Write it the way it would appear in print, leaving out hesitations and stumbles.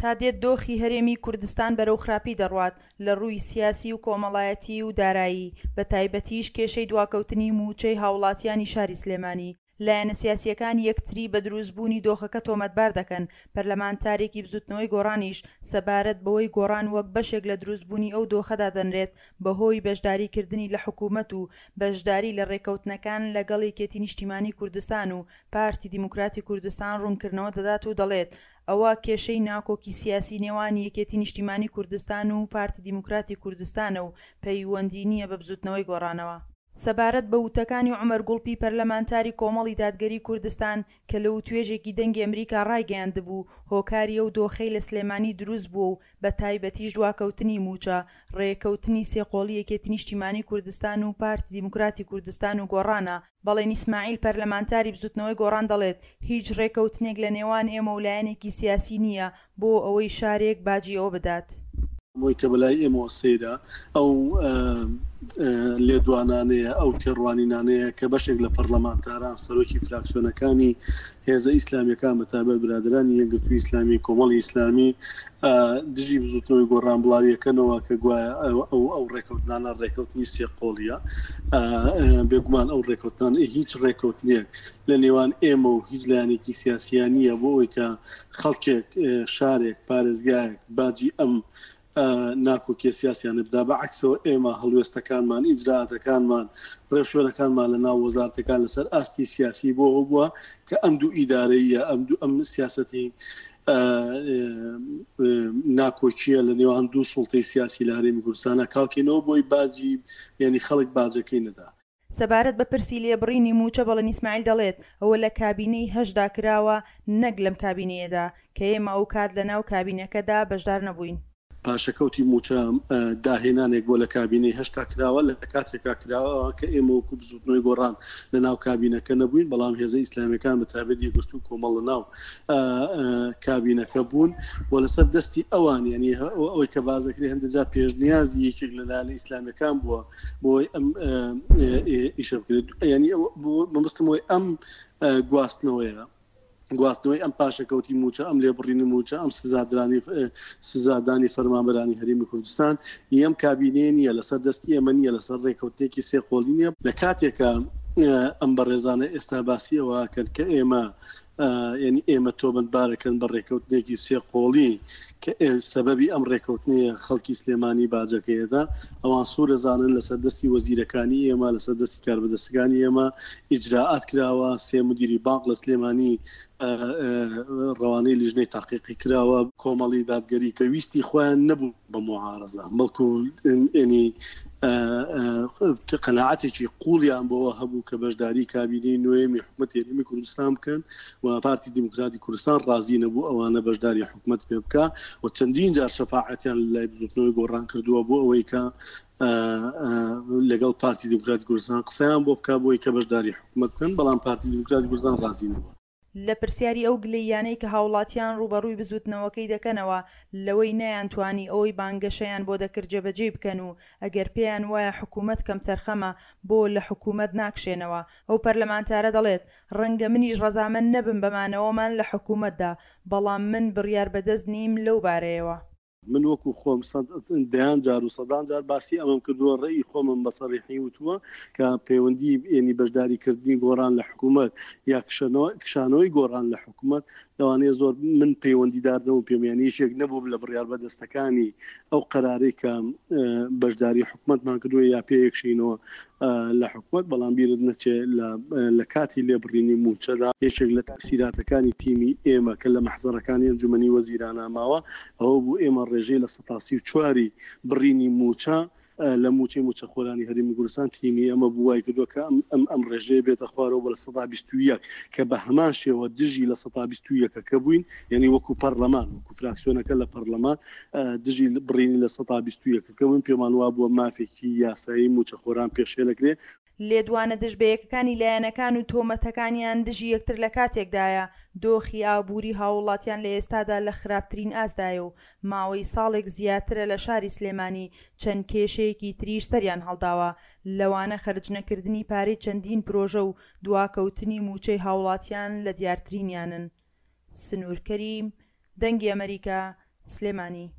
تا دێت دۆخی هەرێمی کوردستان بەرەو خراپی دەڕوات لە ڕووی سیاسی و کۆمەڵایەتی و دارایی، بە تایبەتیش کێشەی دواکەوتنی مووچەی هاوڵاتیانی شاری سلێمانی. لایەنە سیاسییەکان یەکتری بە دروستبوونی دۆخەکە تۆمەتبار دەکەن، پەرلەمانتارێکی بزوتنەوەی گۆڕانیش سەبارەت بەوەی گۆڕان وەک بەشێک لە دروستبوونی ئەو دۆخە دادەنرێت بەهۆی بەشداری کردنی لە حکومەت و بەشداری لە رێککەوتنەکان لەگەڵ یەکێتی نیشتیمانی کوردستان و پارتی دیموکراتی کوردستان روونکردنەوە دەدات و دەڵێت ئەوە کێشەی ناکۆکی سیاسی نێوان یەکێتی نیشتیمانی کوردستان و پارتی دیموکراتی کوردستانە و پەیوەندی نییە بە بزوتنەوەی گۆڕانەوە. سەبارەت بە وتەکانی عومەر گوڵپی پەرلەمانتاری کۆمەڵی دادگەری کوردستان کە لە وتوێژێکی دەنگی ئەمریکا ڕایگەیاندبوو هۆکاری ئەو دۆخەی لە سلێمانی دروست بووە و بە تایبەتیش دواکەوتنی مووچە ڕێکەوتنی سێقۆڵی یەکێتی نیشتیمانی کوردستان و پارتی دیموکراتی کوردستان و گۆڕانە بەڵێن ئیسماعیل پەرلەمانتاری بزوتنەوەی گۆڕان دەڵێت هیچ ڕێکەوتنێک لە نێوان ئێمە و لایەنێکی سیاسی نییە بۆ ئەوەی شارێک باجی ئەوە بدات. ئەوەی کە بەلای ئێمەوە سەیرە ئەو لێدوانانەیە، ئەو تێڕوانینانەیە کە بەشێک لە پەڕلەمانتاران، سەرۆکی فراکسیۆنەکانی هێزە ئیسلامییەکان بە تایبەت برادەرانی یەکگرتووی ئیسلامی، کۆمەڵی ئیسلامی دژی بزووتنەوەی گۆڕان بڵاویەکەنەوە کە گوایە ئەو ئەو ڕێکەوتنانە ڕێکەوتنی سێ قۆڵیە. بێگومان ئەو ڕێکەوتنانە هیچ ڕێکەوتنێک لە نێوان ئێمە و هیچ لایەنێکی سیاسییان نییە بۆ ئەوەی کە خەڵکێک، شارێک، پارێزگایەک باجی ئەم ناکۆکیە سیاسیانە بدا، بە عەکسەوە ئێمە هەڵوێستەکانمان، ئیجرائاتەکانمان، ڕێوشوێنەکانمان لە ناو وەزارەتەکان لەسەر ئاستی سیاسی بۆ ئەوە بووە کە ئەم دوو ئیدارەییە، ئەم دوو ئەم سیاسەتی ناکۆکیە لە نێوان دوو سوڵتەی سیاسی لە هەرێمی کوردستانە کاڵکەینەوە بۆی باجی یعنی خەڵک باجەکەی نەدا. سەبارەت بە پرسی لێبڕینی مووچە بەڵێن ئیسماعیل دەڵێت، ئەوە لە کابینەی هەشتدا کراوە نەک لەم کابینەیەدا، کە ئێمە ئەوکات لەناو کابینەکەدا بەشدار نەبووین. پاشەکەوتی مووچە داهێنانێک بووە لە کابینەی هەشتا کراوە، لە کاتێکا کراوە کە ئێمە وەکو بزووتنەوەی گۆڕان لەناو کابینەکە نەبووین، بەڵام هێزە ئیسلامییەکان بە تایبەت یەکگرتوو و کۆمەڵ لەناو کابینەکە بوون و لەسەر دەستی ئەوان یانی ئەوەی کە باس دەکرێت هەندێک جار پێشنیازی یەکێک لە لایەنە ئیسلامییەکان بووە بۆی ئەم ئیشە بکرێت ینی مەبەستم ئەوەی ئەم گواستنەوەیە گواستنەوەی ئەم پاشەکەوتی موچە ئەم لێبڕینی موچە ئەم سزادرانی سزادانی فەرمانبەرانی هەرێمی کوردستان یەم کابینەیە نییە لەسەر دەستی ئێمە نییە لەسەر ڕێکەوتنێکی سێ قۆڵی نییە لە کاتێکە ئەم بەڕێزانە ئێستا باسی ئەوە کرد کە ئێمە یانی ئێمە تۆمەتبارەکەن بە ڕێکەوتنێکی سێ قۆڵی کە سەبەبی ئەم ڕێکەوتنەیە خەڵکی سلێمانی باجەکەیەدا ئەوان سوورەزانن لەسەر دەستی وەزیرەکانی ئێمە لەسەر دەستی کاربەدەستەکانی ئێمە ئیجرائات کراوە سێ مدیری بانق لە سلێمانی ڕەوانەی لیژنەی تاقیقی کراوە کۆمەڵی دادگەری کە ویستی خۆیان نەبوو بە موعارەزە بەڵکو ینی قەناعەتێکی قوڵیان بۆوە هەبوو کە بەشداری کابینەی نۆیەمی حکومەتی هەرێمی کوردستان بکەن و پارتی دیموکراتی کوردستان ڕازی نەبوو ئەوانە بەشداری حکومەت پێ بکا و چەندین جار شەفاعەتیان لای بزوتنەوەی گۆڕان کردووە بۆ ئەوەی کە لەگەڵ پارتی دیموکراتی کوردستان قسەیان بۆ بکا بۆی کە بەشداری حکومەت بکەن بەڵام پارتی دیموکراتی کوردستان ڕازی نەبووە. لە پرسیاری ئەو گلەییانەی کە هاوڵاتیان ڕووبەڕووی بزووتنەوەکەی دەکەنەوە لەوەی نەیانتوانی ئەوەی بانگەشەیان بۆ دەکرد جێبەجێی بکەن و ئەگەر پێیان وایە حکوومەت کەمتەرخەمە بۆ لە حکوومەت ناکشێنەوە ئەو پەرلەمانتارە دەڵێت ڕەنگە منیش ڕەزامەند نەبم بە مانەوەمان لە حکوومەتدا بەڵام من بڕیار بەدەست نیم لەو بارەیەوە. من وەکو خۆم دەیان جار و سەدان جار باسی ئەمەم کردووە، ڕەئی خۆمم بە سەریحی وتووە کە پەیوەندی یەنی بەشداری کردنی گۆڕان لە حکوومەت یا کشانەوەی گۆڕان لە حکوومەت لەوانەیە زۆر من پەیوەندیدار نەبووم پێم یانی یەکێک نەبووم لە بڕیار بەدەستەکانی ئەو قەرارەی کە بەشداری حکوومەتمان کردووە یا پێیەکشینەوە لە حکومەت، بەڵام بیرت نەچێ لە کاتی لێبڕینی مووچەدا یەکێک لە تەئسیراتەکانی تیمی ئێمە کە لە مەحزەرەکانی ئەنجومەنی وەزیرانا ماوە ئەوە بوو ئێمە ڕێژەی 34% ی بڕینی مووچە لە مووچەی مووچەخۆرانی هەرێمی کوردستان تیمی ئێمە بوو وای کردووە کە ئەم ئەم ڕێژەیە بێتە خوارەوە بۆ 21% کە بە هەمان شێوە دژی 21% ەکە بووین یعنی وەکو پەرلەمان وەکو فراکسیۆنەکە لە پەرلەمان دژی بڕینی 21% ەکە بووین پێمان وابووە مافێکی یاسایی مووچەخۆران پێشێل ئەکرێ. لێدوانە دژبەیەکەکانی لایەنەکان و تۆمەتەکانیان دژی یەکتر لە کاتێکدایە، دۆخی ئابووری هاووڵاتیان لە ئێستادا لە خراپترین ئاستدایە و ماوەی ساڵێک زیاترە لە شاری سلێمانی چەند کێشەیەکی تریش سەریان هەڵداوە لەوانە خەرجنەکردنی پارەی چەندین پرۆژە و دواکەوتنی مووچەی هاوڵاتیان لە دیارترینیانن. سنوور کەریم، دەنگی ئەمەریکا، سلێمانی.